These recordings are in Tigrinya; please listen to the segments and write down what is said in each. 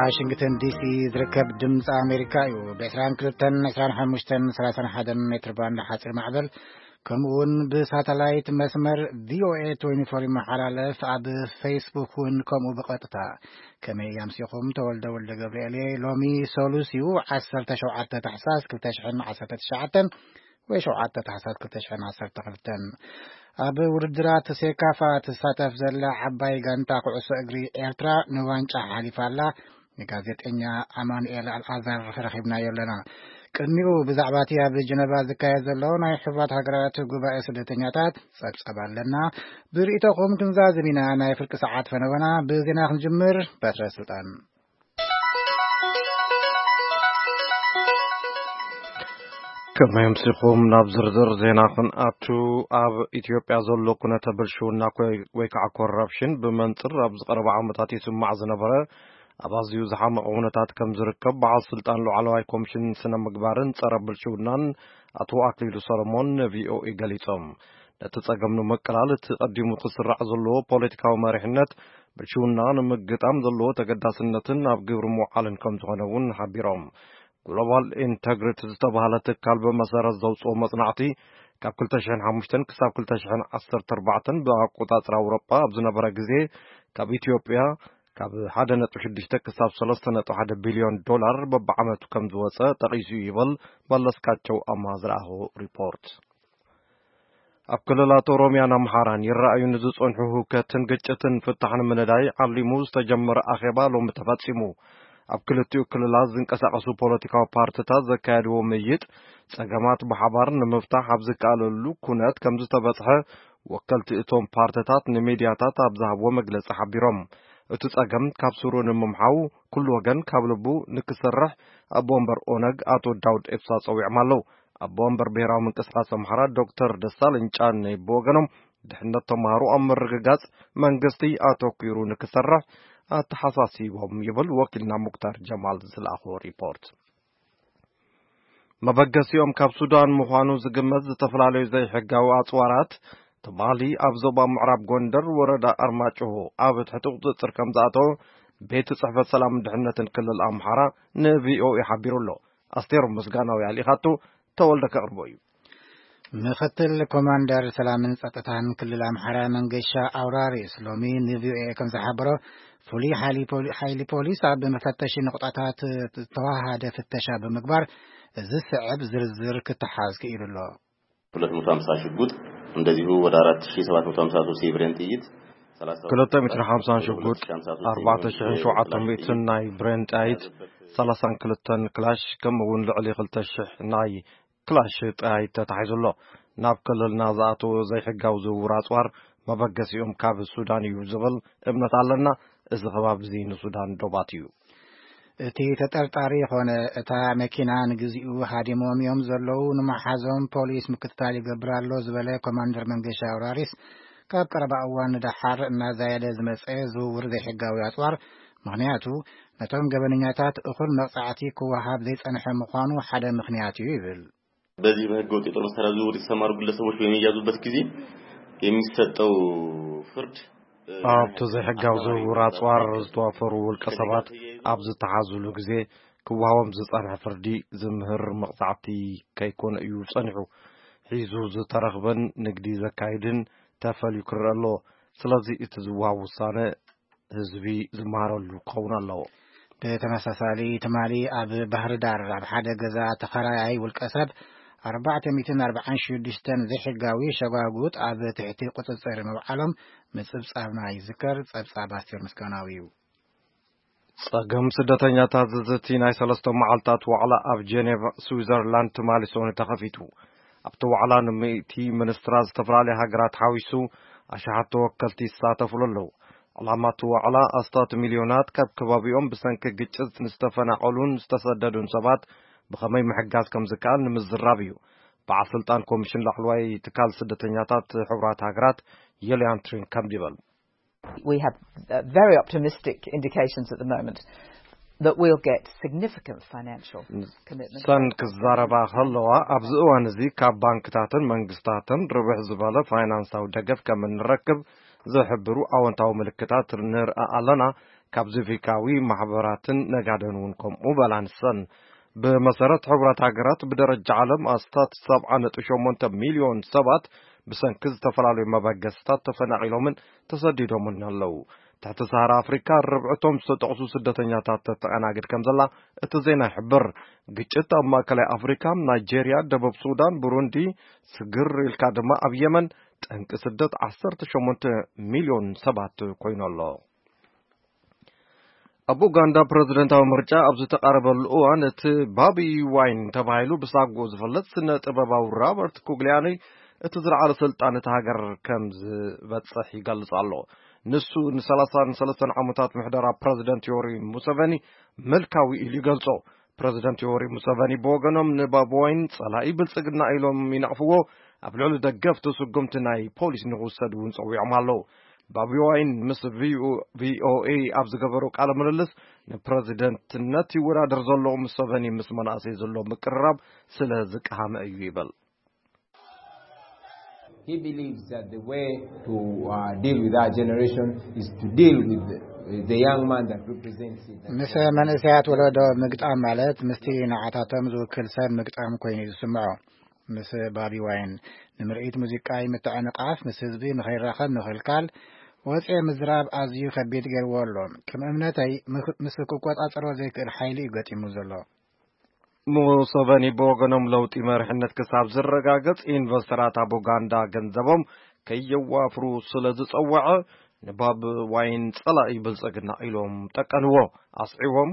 ዋሽንግተን ዲሲ ዝርከብ ድምፂ ኣሜሪካ እዩ። ብ22፣ 25፣ 31 ሜትር ባንድ ሓፂር ማዕበል፣ ከምኡ እውን ብሳተላይት መስመር ቪኦኤ 24 ይመሓላለፍ። ኣብ ፌስቡክ እውን ከምኡ ብቐጥታ። ከመይ ኣምሲኹም? ተወልደ ወልደ ገብርኤል እየ። ሎሚ ሰሉስ እዩ፣ 17 ታሕሳስ 2019 ወይ 7 ታሕሳስ 2012። ኣብ ውድድራት ሴካፋ ትሳተፍ ዘላ ዓባይ ጋንታ ኩዕሶ እግሪ ኤርትራ ንዋንጫ ሓሊፋ ኣላ። ንጋዜጠኛ ኣማኑኤል ኣልኣዛር ረኺብናዮ ኣለና። ቅድሚኡ ብዛዕባ እቲ ኣብ ጀነቫ ዝካየድ ዘሎ ናይ ሕቡራት ሃገራት ጉባኤ ስደተኛታት ጸብጸብ ኣለና። ብርእይቶኹም ክንዛዝም ኢና። ናይ ፍርቂ ሰዓት ፈነወና ብዜና ክንጅምር። በትረ ስልጣን። ከመይ ኣምሲኹም? ናብ ዝርዝር ዜና ክንኣቱ፣ ኣብ ኢትዮጵያ ዘሎ ኩነተ ብልሽውና ኮይ-፣ ወይ ከዓ ኮረፕሽን ብመንጽር ኣብ ዝቐረበ ዓመታት ይስማዕ ዝነበረ ኣብ ኣዝዩ ዝሓመቐ ኩነታት ከም ዝርከብ በዓል ስልጣን ላዕለዋይ ኮሚሽን ስነ ምግባርን ጸረ ብልሽውናን ኣቶ ኣክሊሉ ሰሎሞን ንቪኦኤ ገሊጾም። ነቲ ጸገም ንምቅላል እቲ ቀዲሙ ክስራዕ ዘለዎ ፖለቲካዊ መሪሕነት ብልሽውና ንምግጣም ዘለዎ ተገዳስነትን ኣብ ግብሪ ምውዓልን ከም ዝኾነ እውን ሓቢሮም። ግሎባል ኢንተግሪቲ ዝተባህለ ትካል ብመሰረት ዘውፅኦ መፅናዕቲ ካብ 2005 ክሳብ 2014 ብኣቆፃፅራ ኣውሮጳ ኣብ ዝነበረ ግዜ ካብ ኢትዮጵያ ካብ 1.6 ክሳብ 3.1 ቢልዮን ዶላር በብዓመቱ ከም ዝወፀ ጠቒሱ እዩ ይብል መለስካቸው ኣማ ዝረኣኹ ሪፖርት። ኣብ ክልላት ኦሮሚያን ኣምሓራን ይረኣዩ ንዝጸንሑ ህውከትን ግጭትን ፍታሕ ንምንዳይ ዓሊሙ ዝተጀመረ ኣኼባ ሎሚ ተፈጺሙ። ኣብ ክልቲኡ ክልላት ዝንቀሳቐሱ ፖለቲካዊ ፓርትታት ዘካየድዎ ምይጥ፣ ጸገማት ብሓባር ንምፍታሕ ኣብ ዝከኣለሉ ኩነት ከም ዝተበጽሐ ወከልቲ እቶም ፓርትታት ንሚድያታት ኣብ ዝሃብዎ መግለጺ ሓቢሮም። እቲ ጸገም ካብ ስሩ ንምምሓው ኩሉ ወገን ካብ ልቡ ንክሰርሕ ኣቦ ወንበር ኦነግ ኣቶ ዳውድ ኤብሳ ጸዊዖም ኣለዉ። ኣቦ ወንበር ብሄራዊ ምንቅስቃስ ኣምሓራ ዶክተር ደሳለኝ ጫኔ ብወገኖም፣ ድሕነት ተምሃሮ ኣብ ምርግጋጽ መንግስቲ ኣተኲሩ ንክሰርሕ ኣተሓሳሲቦም ይብል ወኪልና ሙክታር ጀማል ዝለኣኾ ሪፖርት። መበገሲኦም ካብ ሱዳን ምዃኑ ዝግመት ዝተፈላለዩ ዘይሕጋዊ ኣጽዋራት ትማሊ ኣብ ዞባ ምዕራብ ጎንደር ወረዳ ኣርማጭሆ ኣብ ትሕቲ ቁጽጽር ከም ዝኣተወ ቤት ጽሕፈት ሰላምን ድሕነትን ክልል ኣምሓራ ንቪኦኤ ሓቢሩ ኣሎ። ኣስቴር ምስጋናው ያሊኻቱ ተወልደ ከቕርቦ እዩ። ምክትል ኮማንደር ሰላምን ጸጥታን ክልል ኣምሓራ መንገሻ ኣውራሪስ ሎሚ ንቪኦኤ ከም ዝሓበሮ፣ ፍሉይ ሓይሊ ፖሊ-፣ ሓይሊ ፖሊስ ኣብ መፈተሺ ንቑጣታት ዝተዋሃደ ፍተሻ ብምግባር እዚ ስዕብ ዝርዝር ክተሓዝ ክኢሉ ኣሎ። 250 ሽጉጥ፣ እንደዚሁ ወደ 4,753 የብሬን ጥይት፣ 250 ሽጉጥ፣ 4,700 ናይ ብሬን ጥይት፣ 32 ክላሽ፣ ከምኡ እውን ልዕሊ 2,000 ናይ ክላሽ ጥይት ተታሒዙ ኣሎ። ናብ ክልልና ዝኣተወ ዘይሕጋዊ ዝውውር ኣጽዋር መበገሲኦም ካብ ሱዳን እዩ ዝብል እምነት ኣለና። እዚ ከባቢ እዚ ንሱዳን ዶባት እዩ። እቲ ተጠርጣሪ ኾነ እታ መኪና ንግዚኡ ሃዲሞም እዮም ዘለዉ፣ ንመሓዞም ፖሊስ ምክትታል ይገብር ኣሎ ዝበለ ኮማንደር መንገሻ ኣውራሪስ፣ ካብ ቀረባ እዋን ንደሓር እናዛየደ ዝመጸ ዝውውር ዘይሕጋዊ ኣጽዋር፣ ምኽንያቱ ነቶም ገበነኛታት እኹል መቕጻዕቲ ክወሃብ ዘይጸንሐ ምዃኑ ሓደ ምኽንያት እዩ ይብል። በዚህ በህገ ወጥ የጦር መሳሪያ ዝውውር የተሰማሩ ግለሰቦች በሚያዙበት ጊዜ የሚሰጠው ፍርድ፣ እ፣ ኣብቲ ዘይሕጋዊ ዝውውር ኣጽዋር ዝተዋፈሩ ውልቀ ሰባት ኣብ ዝተሓዙሉ ግዜ ክወሃቦም ዝጸንሐ ፍርዲ ዝምህር መቕጻዕቲ ከይኮነ እዩ ጸኒሑ። ሒዙ ዝተረኽበን ንግዲ ዘካይድን ተፈልዩ ክረአ ኣለዎ። ስለዚ እቲ ዝወሃብ ውሳነ ህዝቢ ዝመሃረሉ ክኸውን ኣለዎ። ብተመሳሳሊ ትማሊ ኣብ ባህር ዳር ኣብ ሓደ ገዛ ተኸራያይ ውልቀ ሰብ 446 ዘይሕጋዊ ሸጓጉጥ ኣብ ትሕቲ ቁጽጽር ምውዓሎም ምጽብጻብና ይዝከር። ጸብጻብ ኣስቴር ምስጋናዊ እዩ። ጸገም ስደተኛታት ዝዝቲ ናይ ሰለስተ መዓልታት ዋዕላ ኣብ ጀኔቫ ስዊዘርላንድ ትማሊ ሰኑይ ተኸፊቱ። ኣብቲ ዋዕላ ን100 ሚኒስትራት ዝተፈላለዩ ሃገራት ሓዊሱ ኣሽሓት ተወከልቲ ይሳተፉሉ ኣለዉ። ዕላማ እቲ ዋዕላ ኣስታት ሚልዮናት ካብ ከባቢኦም ብሰንኪ ግጭት ንዝተፈናቐሉን ዝተሰደዱን ሰባት ብኸመይ ምሕጋዝ ከም ዝከኣል ንምዝራብ እዩ። በዓል ስልጣን ኮሚሽን ላዕለዋይ ትካል ስደተኛታት ሕቡራት ሃገራት የልያን ትሪን ከም ይበል። We have, uh, very optimistic indications at the moment that we'll get significant financial commitment. ሰን ክዛረባ ከለዋ ኣብዚ እዋን እዚ ካብ ባንክታትን መንግስታትን ርብሕ ዝበለ ፋይናንሳዊ ደገፍ ከም እንረክብ ዝሕብሩ ኣወንታዊ ምልክታት ንርኣ ኣለና። ካብ ሲቪካዊ ማሕበራትን ነጋደን እውን ከምኡ በላ ንሰን። ብመሰረት ሕቡራት ሃገራት፣ ብደረጃ ዓለም ኣስታት ሰብዓ ነጥቢ ሸሞንተ ሚልዮን ሰባት ብሰንኪ ዝተፈላለዩ መበገስታት ተፈናቒሎምን ተሰዲዶምን ኣለዉ። ትሕቲ ሰሃራ ኣፍሪካ ርብዕቶም ዝተጠቕሱ ስደተኛታት ተተኣናግድ ከም ዘላ እቲ ዜና ይሕብር። ግጭት ኣብ ማእከላይ ኣፍሪካ፣ ናይጄርያ፣ ደቡብ ሱዳን፣ ብሩንዲ፣ ስግር ኢልካ ድማ ኣብ የመን ጠንቂ ስደት ዓሰርተ ሸሞንተ ሚልዮን ሰባት ኮይኑ ኣሎ። ኣብ ኡጋንዳ ፕረዚደንታዊ ምርጫ ኣብ ዝተቓረበሉ እዋን፣ እቲ ባቢ ዋይን ተባሂሉ ብሳጎ ዝፍለጥ ስነ ጥበባዊ ራበርት ኩግሊያኒ እቲ ዝለዓለ ስልጣን እቲ ሃገር ከም ዝበጽሕ ይገልጽ ኣሎ። ንሱ ን ሰላሳን ሰለስተን ዓመታት ምሕደራ ፕረዚደንት ዮሪ ሙሰቨኒ ምልካዊ ኢሉ ይገልጾ። ፕረዚደንት ዮሪ ሙሰቨኒ ብወገኖም ንባቢ ዋይን ጸላኢ ብልጽግና ኢሎም ይነቕፍዎ። ኣብ ልዕሊ ደገፍቲ ስጉምቲ ናይ ፖሊስ ንኽውሰድ እውን ጸዊዖም ኣለዉ። ባቢ ዋይን ምስ ቪኦኤ ኣብ ዝገበሮ ቃለ ምልልስ፣ ንፕረዚደንትነት ይወዳደር ዘሎ ሙሰቨኒ ምስ መናእሰይ ዘሎ ምቅርራብ ስለ ዝቀሃመ እዩ ይብል። He believes that the way to uh, deal with our generation is to deal with the, the young man that represents it. ምስ መንእሰያት ወለዶ ምግጣም ማለት ምስቲ ንዓታቶም ዝውክል ሰብ ምግጣም ኮይኑ እዩ ዝስምዖ። ምስ ባቢ ዋይን ንምርኢት ሙዚቃ ምትዕንቓፍ፣ ምስ ህዝቢ ንኸይራኸብ ምኽልካል፣ ወፂኤ ምዝራብ ኣዝዩ ከቢድ ገይርዎ ኣሎ። ከም እምነተይ ምስ ክቆፃፀሮ ዘይክእል ሓይሊ እዩ ገጢሙ ዘሎ። ሙሰቨኒ ብወገኖም ለውጢ መሪሕነት ክሳብ ዝረጋገጽ ኢንቨስተራት ኣብ ኡጋንዳ ገንዘቦም ከየዋፍሩ ስለ ዝጸወዐ ንባብ ዋይን ጸላኢ ብልጽግና ኢሎም ጠቀንዎ። ኣስዒቦም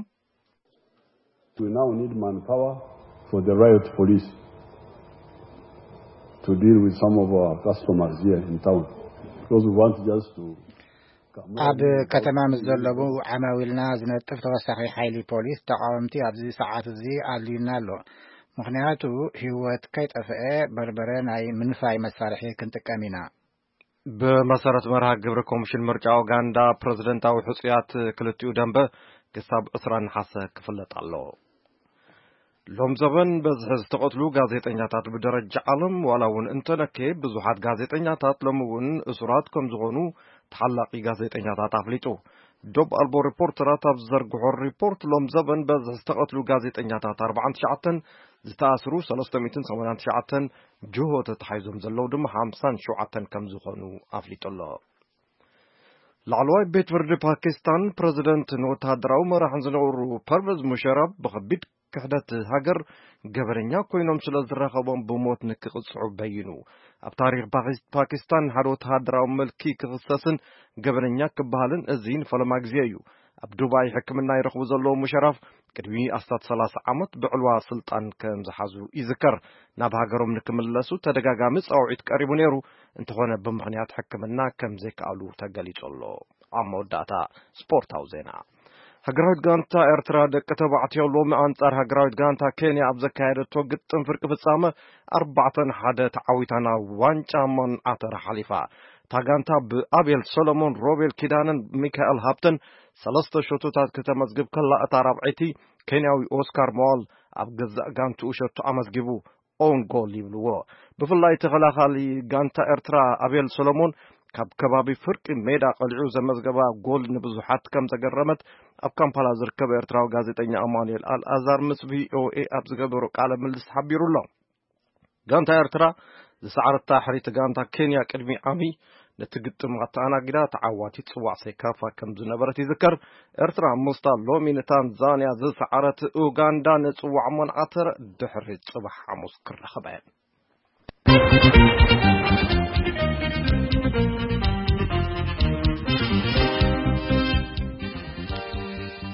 We now need manpower for the riot police to deal with some of our customers here in town because we want just to ኣብ ከተማ ምስ ዘለዉ ዓማዊልና ዝነጥፍ ተወሳኺ ሓይሊ ፖሊስ ተቓወምቲ ኣብዚ ሰዓት እዚ ኣድልዩና ኣሎ። ምኽንያቱ ህይወት ከይጠፍአ በርበረ ናይ ምንፋይ መሳርሒ ክንጥቀም ኢና። ብመሰረት መርሃ ግብሪ ኮሚሽን ምርጫ ኡጋንዳ ፕረዚደንታዊ ሕጹያት ክልቲኡ ደንበ ክሳብ ዕስራ ነሓሰ ክፍለጥ ኣሎ። ሎም ዘበን በዝሒ ዝተቐትሉ ጋዜጠኛታት ብደረጃ ዓለም ዋላ እውን እንተነከየ ብዙሓት ጋዜጠኛታት ሎም እውን እሱራት ከም ዝኾኑ ተሓላቒ ጋዜጠኛታት ኣፍሊጡ። ዶብ ኣልቦ ሪፖርተራት ኣብ ዝዘርግሖ ሪፖርት ሎም ዘበን በዝሒ ዝተቐትሉ ጋዜጠኛታት ኣርባዓን ትሽዓተን፣ ዝተኣስሩ ሰለስተ ሚእትን ሰማንያን ትሽዓተን፣ ጅሆ ተታሒዞም ዘለዉ ድማ ሓምሳን ሸውዓተን ከም ዝኾኑ ኣፍሊጡ ኣሎ። ላዕለዋይ ቤት ፍርዲ ፓኪስታን ፕረዚደንት ንወተሃደራዊ መራሕን ዝነበሩ ፐርቨዝ ሙሸራፍ ብኸቢድ ክሕደት ሃገር ገበነኛ ኮይኖም ስለ ዝረኸቦም ብሞት ንክቕፅዑ በይኑ። ኣብ ታሪክ ፓኪስታን ሓደ ወተሃደራዊ ምልኪ ክኽሰስን ገበነኛ ክበሃልን እዚ ንፈለማ ግዜ እዩ። ኣብ ዱባይ ሕክምና ይረኽቡ ዘለዉ ሙሸራፍ ቅድሚ ኣስታት ሰላሳ ዓመት ብዕልዋ ስልጣን ከም ዝሓዙ ይዝከር። ናብ ሃገሮም ንክምለሱ ተደጋጋሚ ፃውዒት ቀሪቡ ነይሩ። እንተኾነ ብምኽንያት ሕክምና ከም ዘይከኣሉ ተገሊጹ ኣሎ። ኣብ መወዳእታ ስፖርታዊ ዜና። ሃገራዊት ጋንታ ኤርትራ ደቂ ተባዕትዮ ሎሚ ኣንጻር ሃገራዊት ጋንታ ኬንያ ኣብ ዘካየደቶ ግጥም ፍርቂ ፍጻመ ኣርባዕተ ንሓደ ተዓዊታ ናብ ዋንጫ መንዓተራ ሓሊፋ። እታ ጋንታ ብኣቤል ሰሎሞን፣ ሮቤል ኪዳነን ሚካኤል ሃብተን ሰለስተ ሸቶታት ክተመዝግብ ከላ እታ ራብዐይቲ ኬንያዊ ኦስካር መዋል ኣብ ገዛእ ጋንትኡ ሸቶ ኣመዝጊቡ። ኦን ጎል ይብልዎ። ብፍላይ ተኸላኻሊ ጋንታ ኤርትራ ኣቤል ሰሎሞን ካብ ከባቢ ፍርቂ ሜዳ ቀሊዑ ዘመዝገባ ጎል ንብዙሓት ከም ዘገረመት ኣብ ካምፓላ ዝርከብ ኤርትራዊ ጋዜጠኛ ኣማኑኤል ኣልኣዛር ምስ ቪኦኤ ኣብ ዝገበሮ ቃለ ምልልስ ሓቢሩ ኣሎ። ጋንታ ኤርትራ ዝሰዓረታ ሕሪቲ ጋንታ ኬንያ ቅድሚ ዓሚ ነቲ ግጥም ኣተኣናጊዳ ተዓዋቲት ጽዋዕ ሴካፋ ከም ዝነበረት ይዝከር። ኤርትራ ምስታ ሎሚ ንታንዛንያ ዝሰዓረት ኡጋንዳ ንጽዋዕ መንዓተር ድሕሪ ጽባሕ ሓሙስ ክራኸባ እየን።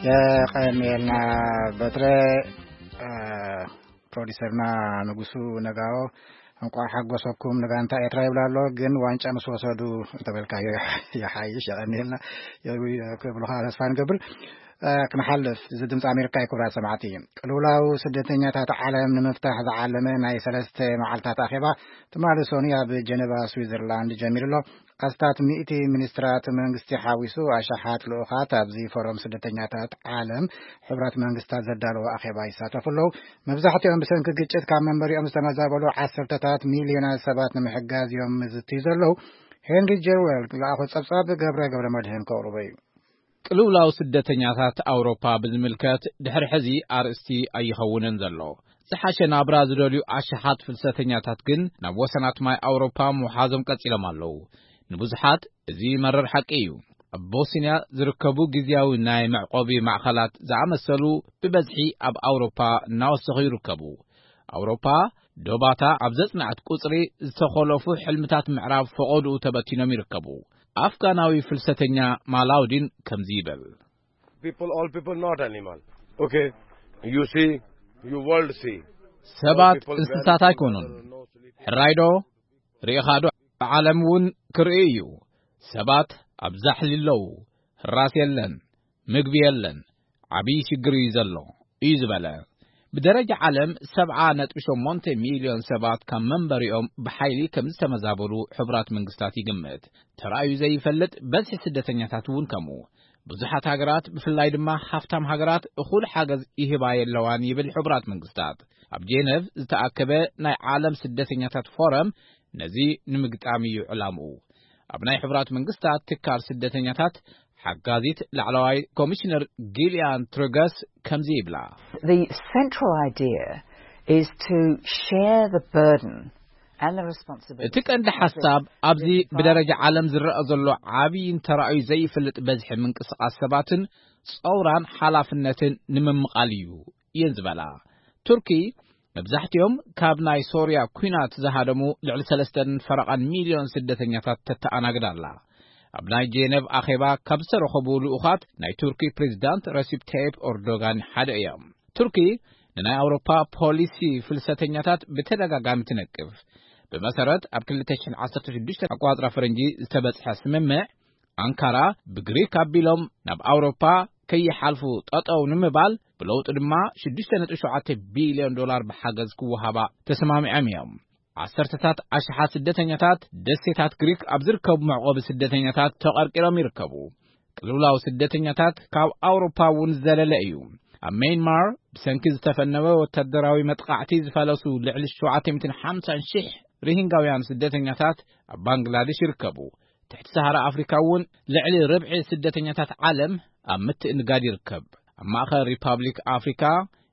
የቐንየልና በትረ። ፕሮዲሰርና ንጉሱ ነጋዎ እንቋዕ ሓጎሰኩም ንጋንታ ኤርትራ ይብላ ኣሎ። ግን ዋንጫ ምስ ወሰዱ እንተበልካዮ ይሓይሽ። የቐንየልና ክብሉኻ ተስፋ ንገብር። ክንሓልፍ፣ እዚ ድምፂ ኣሜሪካ እዩ። ክቡራት ሰማዕቲ፣ ቅልውላው ስደተኛታት ዓለም ንምፍታሕ ዝዓለመ ናይ ሰለስተ መዓልታት ኣኼባ ትማሊ ሰኑይ ኣብ ጀነቫ ስዊዘርላንድ ጀሚሩ ኣሎ። ኣስታት ሚእቲ ሚኒስትራት መንግስቲ ሓዊሱ ኣሽሓት ልኡኻት ኣብዚ ፎረም ስደተኛታት ዓለም ሕቡራት መንግስታት ዘዳለዎ ኣኼባ ይሳተፉ ኣለዉ። መብዛሕትኦም ብሰንኪ ግጭት ካብ መንበሪኦም ዝተመዛበሉ ዓሰርተታት ሚልዮናት ሰባት ንምሕጋዝ እዮም ዝዝትዩ ዘለዉ። ሄንሪ ጀርዌል ዝለኣኾ ጸብጻብ ገብረ ገብረ መድህን ከቕርቦ እዩ። ቅልውላው ስደተኛታት ኣውሮፓ ብዝምልከት ድሕሪ ሕዚ ኣርእስቲ ኣይኸውንን ዘሎ። ዝሓሸ ናብራ ዝደልዩ ኣሽሓት ፍልሰተኛታት ግን ናብ ወሰናት ማይ ኣውሮፓ ምውሓዞም ቀጺሎም ኣለዉ። ንብዙሓት እዚ መረር ሓቂ እዩ። ኣብ ቦስንያ ዝርከቡ ግዝያዊ ናይ መዕቆቢ ማዕኸላት ዝኣመሰሉ ብበዝሒ ኣብ ኣውሮፓ እናወሰኹ ይርከቡ። ኣውሮፓ ዶባታ ኣብ ዘጽንዐት ቁጽሪ ዝተኾለፉ ሕልምታት ምዕራብ ፈቐድኡ ተበቲኖም ይርከቡ። ኣፍጋናዊ ፍልሰተኛ ማላውዲን ከምዚ ይብል። People, all people not animal. Okay, you see, you world see. ሰባት እንስሳት ኣይኮኑን። ሕራይዶ ርኢኻዶ? ዓለም እውን ክርኢ እዩ። ሰባት ኣብ ዛሕሊ ኣለዉ። ህራስ የለን፣ ምግቢ የለን። ዓብዪ ሽግር እዩ ዘሎ እዩ ዝበለ። ብደረጃ ዓለም ሰብዓ ነጥቢ ሸሞንተ ሚልዮን ሰባት ካብ መንበሪኦም ብሓይሊ ከም ዝተመዛበሉ ሕቡራት መንግስታት ይግምት። ተራእዩ ዘይፈልጥ በዝሒ ስደተኛታት እውን ከምኡ። ብዙሓት ሃገራት ብፍላይ ድማ ሃፍታም ሃገራት እኹል ሓገዝ ይህባ የለዋን ይብል ሕቡራት መንግስታት። ኣብ ጄነቭ ዝተኣከበ ናይ ዓለም ስደተኛታት ፎረም ነዚ ንምግጣም እዩ ዕላምኡ። ኣብ ናይ ሕቡራት መንግስታት ትካል ስደተኛታት ሓጋዚት ላዕለዋይ ኮሚሽነር ጊልያን ትሩገስ ከምዚ ይብላ። The central idea is to share the burden and the responsibility. እቲ ቀንዲ ሓሳብ ኣብዚ ብደረጃ ዓለም ዝረኣ ዘሎ ዓብይን ተራእዩ ዘይፈልጥ በዝሒ ምንቅስቓስ ሰባትን ጸውራን ሓላፍነትን ንምምቓል እዩ እየን ዝበላ። ቱርኪ መብዛሕትኦም ካብ ናይ ሶርያ ኲናት ዝሃደሙ ልዕሊ ሰለስተን ፈረቓን ሚልዮን ስደተኛታት ተተኣናግድ ኣላ። ኣብ ናይ ጄነቭ ኣኼባ ካብ ዝተረኸቡ ልኡኻት ናይ ቱርኪ ፕሬዝዳንት ረሲፕ ታይፕ ኦርዶጋን ሓደ እዮም። ቱርኪ ንናይ ኣውሮፓ ፖሊሲ ፍልሰተኛታት ብተደጋጋሚ ትነቅፍ። ብመሰረት ኣብ ክልተ ሽሕን ዓሰርተ ሽዱሽተ ኣቋጽራ ፈረንጂ ዝተበጽሐ ስምምዕ፣ ኣንካራ ብግሪክ ኣቢሎም ናብ ኣውሮፓ ከይሓልፉ ጠጠው ንምባል፣ ብለውጢ ድማ ሽዱሽተ ነጥቢ ሸውዓተ ቢልዮን ዶላር ብሓገዝ ክወሃባ ተሰማሚዖም እዮም። ዓሰርተታት ኣሽሓት ስደተኛታት ደሴታት ግሪክ ኣብ ዝርከቡ መዕቆቢ ስደተኛታት ተቐርቂሮም ይርከቡ። ቅልውላው ስደተኛታት ካብ ኣውሮፓ እውን ዝዘለለ እዩ። ኣብ ሜይንማር ብሰንኪ ዝተፈነወ ወታደራዊ መጥቃዕቲ ዝፈለሱ ልዕሊ ሸውዓተ ሚእትን ሓምሳን ሽሕ ሪሂንጋውያን ስደተኛታት ኣብ ባንግላደሽ ይርከቡ። ትሕቲ ሰሃራ ኣፍሪካ እውን ልዕሊ ርብዒ ስደተኛታት ዓለም ኣብ ምትእንጋድ ይርከብ። ኣብ ማእኸል ሪፓብሊክ ኣፍሪካ፣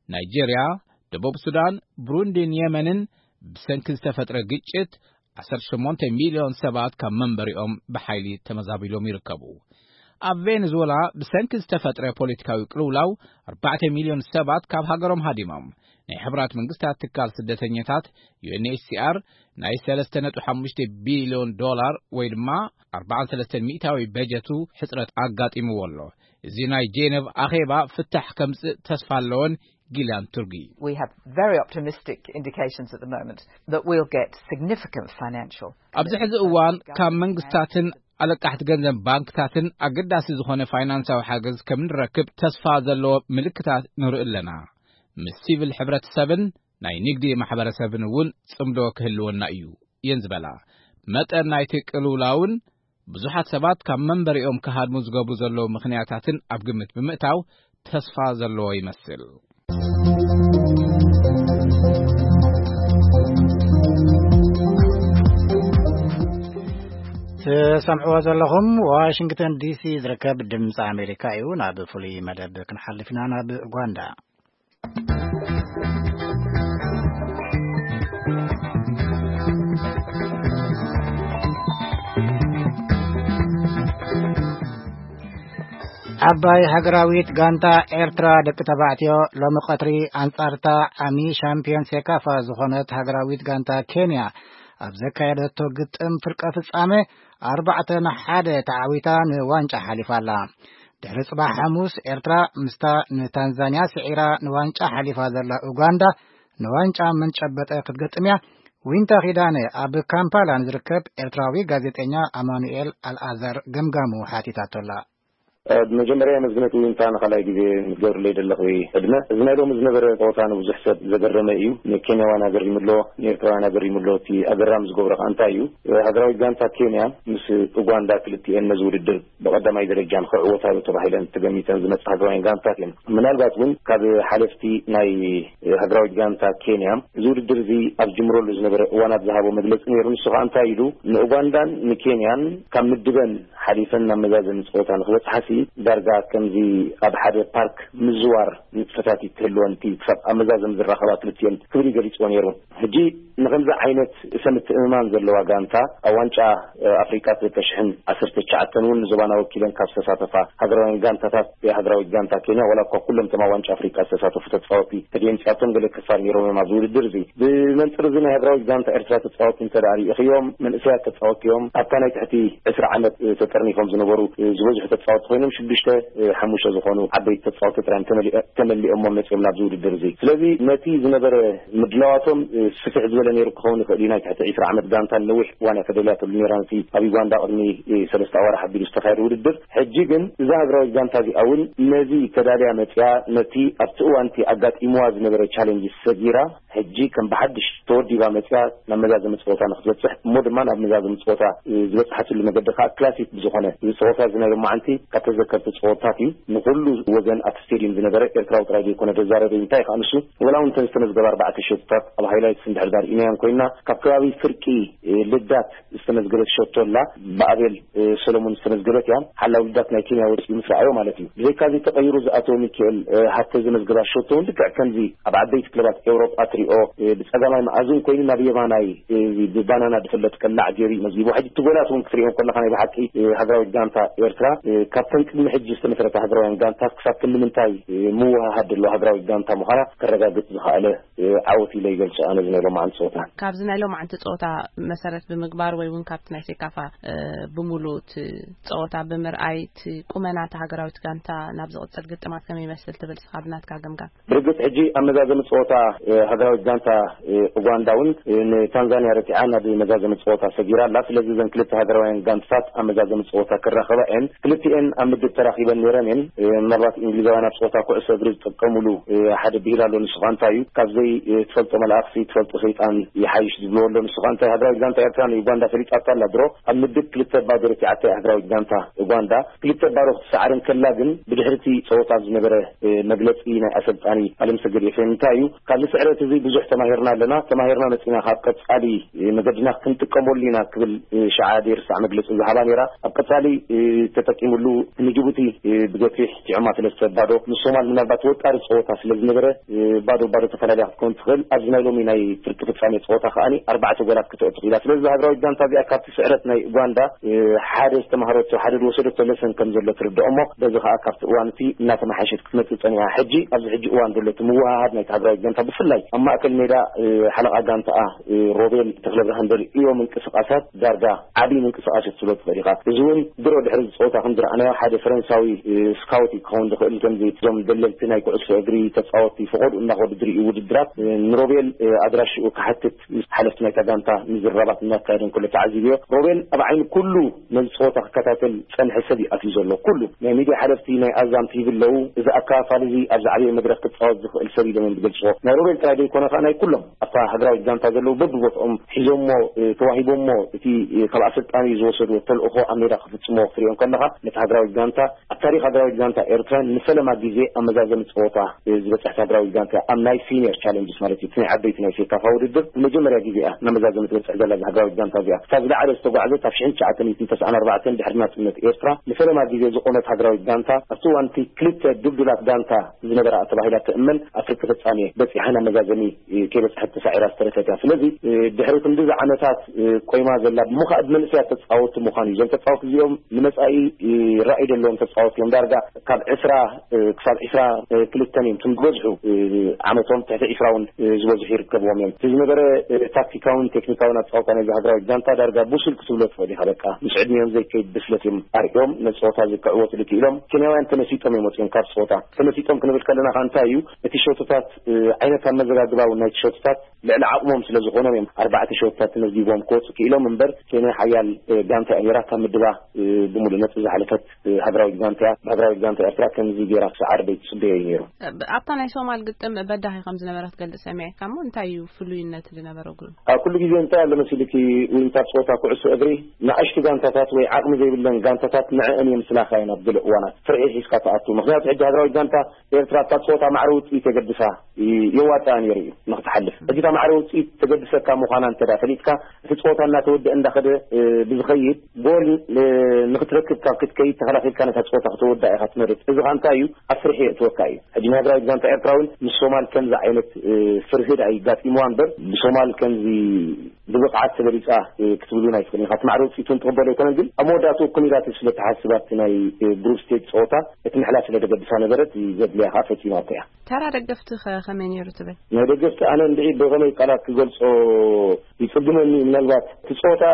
ናይጄርያ፣ ደቡብ ሱዳን፣ ብሩንዲን የመንን ብሰንኪ ዝተፈጥረ ግጭት ዓሰርተ ሸሞንተ ሚልዮን ሰባት ካብ መንበሪኦም ብሓይሊ ተመዛቢሎም ይርከቡ። ኣብ ቬኔዙዌላ ብሰንኪ ዝተፈጥረ ፖለቲካዊ ቅልውላው ኣርባዕተ ሚልዮን ሰባት ካብ ሃገሮም ሃዲሞም። ናይ ሕቡራት መንግስታት ትካል ስደተኛታት ዩ ኤን ኤች ሲ ኣር ናይ ሰለስተ ነጥቢ ሓሙሽተ ቢልዮን ዶላር ወይ ድማ ኣርባዓን ሰለስተን ሚእታዊ በጀቱ ሕጽረት ኣጋጢምዎ ኣሎ። እዚ ናይ ጄነቭ ኣኼባ ፍታሕ ከምጽእ ተስፋ ኣለወን ጊላን ቱርጊ። We have very optimistic indications at the moment that we'll get significant financial ኣብዚ ሕዚ እዋን ካብ መንግስታትን ኣለቃሕቲ ገንዘብ ባንክታትን ኣገዳሲ ዝኾነ ፋይናንሳዊ ሓገዝ ከም ንረክብ ተስፋ ዘለዎ ምልክታት ንርኢ ኣለና። ምስ ሲቪል ሕብረተሰብን ናይ ንግዲ ማሕበረሰብን እውን ጽምዶ ክህልወና እዩ እየን ዝበላ። መጠን ናይቲ ቅልውላውን ብዙሓት ሰባት ካብ መንበሪኦም ክሃድሙ ዝገብሩ ዘለዉ ምኽንያታትን ኣብ ግምት ብምእታው ተስፋ ዘለዎ ይመስል። ትሰምዕዎ ዘለኹም ዋሽንግተን ዲሲ ዝርከብ ድምፂ ኣሜሪካ እዩ። ናብ ፍሉይ መደብ ክንሓልፍ ኢና፣ ናብ ኡጋንዳ። ዓባይ ሃገራዊት ጋንታ ኤርትራ ደቂ ተባዕትዮ ሎሚ ቀትሪ ኣንጻርታ ዓሚ ሻምፒዮን ሴካፋ ዝኾነት ሃገራዊት ጋንታ ኬንያ ኣብ ዘካየደቶ ግጥም ፍርቀ ፍጻመ ኣርባዕተ ንሓደ ተዓዊታ ንዋንጫ ሓሊፋ ኣላ። ድሕሪ ጽባሕ ሓሙስ ኤርትራ ምስታ ንታንዛንያ ስዒራ ንዋንጫ ሓሊፋ ዘላ ኡጋንዳ ንዋንጫ መን ጨበጠ ክትገጥም እያ። ዊንታ ኪዳነ ኣብ ካምፓላ ንዝርከብ ኤርትራዊ ጋዜጠኛ ኣማኑኤል ኣልኣዛር ገምጋሙ ሓቲታቶ ኣላ። ብመጀመርያ የመስግነኪ ዊንታ፣ ንኻልኣይ ግዜ ንትገብርለይ ዘለኺ ዕድመ። እዚ ናይ ሎሚ ዝነበረ ጸወታ ንብዙሕ ሰብ ዘገረመ እዩ። ንኬንያውያን ኣገሪሙ ኣሎ፣ ንኤርትራውያን ኣገሪሙ ኣሎ። እቲ ኣገራሚ ዝገብሮ ከኣ እንታይ እዩ? ሃገራዊት ጋንታ ኬንያ ምስ ኡጋንዳ ክልቲኤን ነዚ ውድድር ብቐዳማይ ደረጃ ንኽዕወታሉ ተባሂለን ተገሚተን ዝመጻ ሃገራውያን ጋንታት እየን። ምናልባት እውን ካብ ሓለፍቲ ናይ ሃገራዊት ጋንታ ኬንያ እዚ ውድድር እዚ ኣብ ዝጅምረሉ ዝነበረ እዋናት ዝሃቦ መግለጺ ነይሩ። ንሱ ከኣ እንታይ ኢሉ? ንኡጋንዳን ንኬንያን ካብ ምድበን ሓሊፈን ናብ መዛዘሚ ጸወታ ንኽበጽሓሲ ዳርጋ ከምዚ ኣብ ሓደ ፓርክ ምዝዋር ንጥፈታት ይትህልወን እቲ ክሳብ ኣብ መዛዘም ዝራኸባ ክልቲኦን ክብል ይገሊፅዎ ነይሩ። ሕጂ ንከምዚ ዓይነት እሰ ምትእምማን ዘለዋ ጋንታ ኣብ ዋንጫ ኣፍሪቃ ክልተ ሽሕን ዓሰርተ ትሽዓተን እውን ንዞባና ወኪለን ካብ ዝተሳተፋ ሃገራውያን ጋንታታት፣ ሃገራዊት ጋንታ ኬንያ ዋላ እኳ ኩሎም እቶም ኣብ ዋንጫ ኣፍሪቃ ዝተሳተፉ ተፃወቲ ተደምፂያቶም ገለ ክፋል ነይሮም እዮም ኣብዚ ውድድር እዚ። ብመንፅር እዚ ናይ ሃገራዊት ጋንታ ኤርትራ ተፃወቲ እንተ ደኣ ርኢኽዮም፣ መንእሰያት ተፃወቲ እዮም። ኣብታ ናይ ትሕቲ ዕስራ ዓመት ተጠርኒፎም ዝነበሩ ዝበዝሑ ተፃወቲ ኮይኖም ሽዱሽተ ሓሙሽተ ዝኾኑ ዓበይቲ ተፃወቲ ጥራይ ተመሊኦ- ተመሊኦሞ መፂኦም ናብዚ ውድድር እዚ። ስለዚ ነቲ ዝነበረ ምድላዋቶም ስፍሕ ዝበለ ነይሩ ክኸውን ይኽእል እዩ። ናይ ትሕቲ ዕስራ ዓመት ጋንታ ነዊሕ እዋን እያ ተደልያትሉ ነይራ ነቲ ኣብ ዩጋንዳ ቅድሚ ሰለስተ ኣዋርሕ ኣቢሉ ዝተኻየደ ውድድር። ሕጂ ግን እዛ ሃገራዊት ጋንታ እዚኣ እውን ነዚ ተዳልያ መፅያ ነቲ ኣብቲ እዋን እቲ ኣጋጢምዋ ዝነበረ ቻሌንጅ ሰጊራ ሕጂ ከም ብሓድሽ ተወዲባ መፅያ ናብ መዛዘሚ ፀወታ ንክትበፅሕ እሞ ድማ ናብ መዛዘሚ ፀወታ ዝበፅሓትሉ መገዲ ከዓ ክላሲክ ብዝኾነ እዚ ፀወታ እዚ ናይ ሎማዓንቲ ካብ ተዘከርቲ ፀወታት እዩ። ንኩሉ ወገን ኣብቲ ስቴድየም ዝነበረ ኤርትራዊ ጥራይ ዘይኮነ ዘዛረበ እዩ። እንታይ ከዓ ንሱ ወላ እውን እተን ዝተመዝገባ ኣርባዕተ ሸቶታት ኣብ ሃይላይትስ እንድሕር ዳር ኢናዮም ኮይና ካብ ከባቢ ፍርቂ ልዳት ዝተመዝገበት ሸቶ ኣላ። ብኣቤል ሰሎሞን ዝተመዝገበት እያ። ሓላው ልዳት ናይ ኬንያ ወፂኡ ምስ ረኣዮ ማለት እዩ። ብዘይካዚ ተቐይሩ ዝኣተወ ሚካኤል ሃብተ ዘመዝገባ ሸቶ እውን ልክዕ ከምዚ ኣብ ዓበይቲ ክለባት ኤውሮጳ ትሪኦ ብፀጋማይ መኣዝን ኮይኑ ናብ የማናይ ብባናና ዝፍለጥ ቀላዕ ገይሩ እዩ መዝጊቡ። ሕጂ እቲ ጎላት እውን ክትሪኦ ከለካ ናይ ብሓቂ ሃገራዊት ጋንታ ኤርትራ ካብተን ቅድሚ ሕጂ ዝተመስረታ ሃገራውያን ጋንታት ክሳብ ክንዲ ምንታይ ምውሃሃድ ዘለዎ ሃገራዊት ጋንታ ምዃና ከረጋግፅ ዝኸኣለ ዓወት ኢለ ይገልፆ ኣነ እዚ ናይ ሎማዓንቲ ፀወታ። ካብዚ ናይ ሎማዓንቲ ፀወታ መሰረት ብምግባር ወይ እውን ካብቲ ናይ ሴካፋ ብምሉእ እቲ ፀወታ ብምርኣይ እቲ ቁመና እታ ሃገራዊት ጋንታ ናብ ዝቕፅል ግጥማት ከመይ ይመስል ትብል ንስኻ ብናትካ ገምጋም? ብርግፅ ሕጂ ኣብ መዛዘሚ ፀወታ ሃገራዊት ጋንታ ኡጋንዳ እውን ንታንዛንያ ረቲዓ ናብ መዛዘሚ ፀወታ ሰጊራ ኣላ። ስለዚ እዘን ክልተ ሃገራውያን ጋንትታት ኣብ መዛዘሚ ፀወታ ክራኸባ እየን። ክልቲኤን ኣብ ምድብ ተራኺበን ነይረን እየን። ምናልባት እንግሊዛውያን ኣብ ፀወታ ኩዕሶ እግሪ ዝጥቀሙሉ ሓደ ብሂል ኣሎ። ንሱ ከዓ እንታይ እዩ? ካብ ዘይትፈልጦ መልኣኽሲ ትፈልጦ ሰይጣን ይሓይሽ ዝብልዎ ኣሎ። ንሱ ከዓ እንታይ? ሃገራዊት ጋንታ ኤርትራ ንዩጋንዳ ፈሊጣታ ኣላ ድሮ። ኣብ ምድብ ክልተ ባዶ ረቲዓታ እያ ሃገራዊት ጋንታ ኡጋንዳ። ክልተ ባዶ ክትሰዓር እንከላ ግን ብድሕሪ እቲ ፀወታ ዝነበረ መግለፂ ናይ ኣሰልጣኒ ኣለምሰገድ ኤፍሬም እንታይ እዩ? ካብዚ ስዕረት እዚ ብዙሕ ተማሂርና ኣለና፣ ተማሂርና መፂና ካብ ቀፃሊ መገድና ክንጥቀመሉ ኢና ክብል ሸዓ ደይርሳዕ መግለፂ ዝሃባ ነይራ። ኣብ ቀፃሊ ተጠቂምሉ ንጅቡቲ ብገፊሕ ቲዖማ ሰለስተ ባዶ። ንሶማል ምናልባት ወጣሪ ፀወታ ስለ ዝነበረ ባዶ ባዶ ተፈላለያ ክትከውን ትኽእል። ኣብዚ ናይ ሎሚ ናይ ፍርቂ ፍፃሜ ፀወታ ከዓኒ ኣርባዕተ ጎላት ክተእቱ ክኢላ። ስለዚ ሃገራዊት ጋንታ እዚኣ ካብቲ ስዕረት ናይ ኡጋንዳ ሓደ ዝተማሃረቶ ሓደ ዝወሰደቶ ለሰን ከም ዘሎ ትርድኦ እሞ በዚ ከዓ ካብቲ እዋን እቲ እናተመሓሸት ክትመፅእ ፀኒሓ። ሕጂ ኣብዚ ሕጂ እዋን ዘሎ እቲ ምውሃሃድ ናይቲ ሃገራዊት ጋንታ ብፍላይ ኣብ ማእከል ሜዳ ሓለቓ ጋንታኣ ሮቤል ተኽለብርሃን ዘርእዮ ምንቅስቃሳት ዳርጋ ዓብዪ ምንቅስቃስ እዩ ክትብሎ ትኽእል ኢኻ። እዚ እውን ድሮ ድሕሪ እዚ ፀወታ ከም ዝረኣናዮ ሓደ ፈረንሳዊ ስካውት እዩ ክኸውን ዝኽእል። ከምዚ እዞም ደለልቲ ናይ ኩዕሶ እግሪ ተፃወትቲ ፈቐድኡ እናኸዱ ዝርእዩ ውድድራት ንሮቤል ኣድራሽኡ ክሓትት ምስ ሓለፍቲ ናይታ ጋንታ ምዝርራባት እናካየደ እንከሎ ተዓዚብዮ። ሮቤል ኣብ ዓይኒ ኩሉ ነዚ ፀወታ ክከታተል ዝፀንሐ ሰብ እዩ ኣትዩ ዘሎ። ኩሉ ናይ ሚድያ ሓለፍቲ ናይ ኣዛም ቲቪ ኣለዉ። እዚ ኣከፋፋሊ እዚ ኣብ ዝዓበየ መድረኽ ክፃወት ዝኽእል ሰብ ኢሎም እዮም ዝገልፅዎ። ናይ ሮቤል ጥራይ ዘይኮነ ከዓ ናይ ኩሎም ኣብታ ሃገራዊት ጋንታ ዘለዉ በብቦትኦም ሒዞሞ ተዋሂቦሞ እቲ ካብ ኣሰልጣኒ ዝወሰድዎ ተልእኾ ኣብ ሜዳ ክፍፅሞ ክትሪኦ ከለኻ ነቲ ሃገራዊት ጋንታ ኣብ ታሪኽ ሃገራዊት ጋንታ ኤርትራ ንፈለማ ግዜ ኣብ መዛዘሚ ፀወታ ዝበፅሐት ሃገራዊት ጋንታ ኣብ ናይ ሲኒየር ቻለንጅስ ማለት እዩ። እቲ ናይ ዓበይቲ ናይ ሴካፋ ውድድር ንመጀመርያ ግዜ እያ ናብ መዛዘሚ ትበፅሕ ዘላ እዛ ሃገራዊት ጋንታ እዚኣ። እታ ዝለዓለ ዝተጓዕዘት ኣብ ሽሕን ትሽዓተ ሚእትን ተስዓን ኣርባዕተን ድሕሪ ናፅነት ኤርትራ ንፈለማ ግዜ ዝቆመት ሃገራዊት ጋንታ ኣብቲ እዋን እቲ ክልተ ድልዱላት ጋንታ ዝነበራ ተባሂላ ትእመን ኣብ ፍርቂ ፍፃሜ በፂሓ ናብ መዛዘሚ ከይበፅሐት ተሳዒራ ዝተረፈት እያ። ስለዚ ድሕሪ ክንድዚ ዓመታት ቆይማ ዘላ ብምዃ ብመንእሰያት ተፃወቲ ምዃኑ እዩ። እዞም ተፃወቲ እዚኦም ንመፃኢ ራእይ ዘለዎም ተፃወቲ እዮም። ዳርጋ ካብ ዕስራ ክሳብ ዕስራ ክልተን እዮም እቶም ዝበዝሑ ዓመቶም ትሕቲ ዕስራ እውን ዝበዝሑ ይርከብዎም እዮም። እቲ ዝነበረ ታክቲካውን ቴክኒካውን ኣፃወታ ናይዚ ሃገራዊት ጋንታ ዳርጋ ብሱል ክትብሎ ትኽእል ኢኻ። በቃ ምስ ዕድሚኦም ዘይከይድ ብስለት እዮም ኣርእዮም ነቲ ፀወታ እዚ ክዕወትሉ ክኢሎም። ኬንያውያን ተመሲጦም እዮም ወፂኦም ካብ ፀወታ። ተመሲጦም ክንብል ከለና ከዓ እንታይ እዩ እቲ ሸቶታት ዓይነት ኣመዘጋግባ እውን ናይቲ ሸቶታት ልዕሊ ዓቕሞም ስለ ዝኾኖም እዮም ኣርባዕተ ሸቶታት ተመዝጊቦም ክወፁ ክኢሎም እምበር ኬንያ ሓያል ጋንታ እያ ነይራ። ካብ ምድባ ብምሉእ ነጥቢ ዝሓለፈት ሃገራዊት ጋንታ እያ። ሃገራዊት ጋንታ ኤርትራ ከምዚ ገይራ ክሰዓር ደይትፅበዮ እዩ ነይሩ። ኣብታ ናይ ሶማል ግጥም በዳሂ ከም ዝነበረ ክትገልጽ ሰሚዐካ እሞ እንታይ እዩ ፍሉይነት ዝነበሮ ግን? ኣብ ኩሉ ግዜ እንታይ ኣሎ መሲልኪ ዊንታ ፀወታ ኩዕሶ እግሪ ንኣሽቱ ጋንታታት ወይ ዓቕሚ ዘይብለን ጋንታታት ንዕአን እዮም ስላኻ እየን ኣብ ገለ እዋናት ፍርሒ ሒዝካ ትኣቱ። ምክንያቱ ሕጂ ሃገራዊት ጋንታ ኤርትራ ኣብታ ፀወታ ማዕረ ውፅኢት የገድሳ የዋፅኣ ነይሩ እዩ ንክትሓልፍ። ሕጂ እታ ማዕረ ውፅኢት ተገድሰካ ምዃና እንተ ደኣ ፈሊጥካ፣ እቲ ፀወታ እናተወደአ እንዳኸደ፣ እ፣ ብዝኸይድ ጎል፣ እ፣ ንኽትረክብ ካብ ክትከይድ ተኸላኺልካ ነታ ፀወታ ክትወዳ ኢኻ ትመርፅ። እዚ ኸኣ እንታይ እዩ? ኣብ ፍርሒ የእትወካ እዩ። ሕጂ ንሃገራዊት ጋንታ ኤርትራ እውን ምስ ሶማል ከምዚ ዓይነት፣ እ፣ ፍርሂ ደኣ ይጋጢምዋ እምበር፣ ብሶማል ከምዚ ብብቕዓት ተበሊፃ፣ እ፣ ክትብሉ ኣይትኽእልን ኢኻ። እቲ ማዕረ ውፅኢት እውን ትቕበሎ ኣይኮነን፣ ግን ኣብ መወዳእትኡ ኮን ኢላ ስለ ትሓስብ ኣብቲ ናይ፣ እ፣ ግሩፕ ስቴጅ ፀወታ እቲ ምሕላፍ ስለ ዘገድሳ ነበረት፣ ዘድልያ ኸኣ ፈፂማቶ እያ። ተራ ደገፍቲ ኸ ከመይ ነይሩ ትብል? ናይ ደገፍቲ ኣነ እንድዒ ብኸመይ ቃላት ክገልጾ ይጽግመኒ። ምናልባት እቲ ጸወታ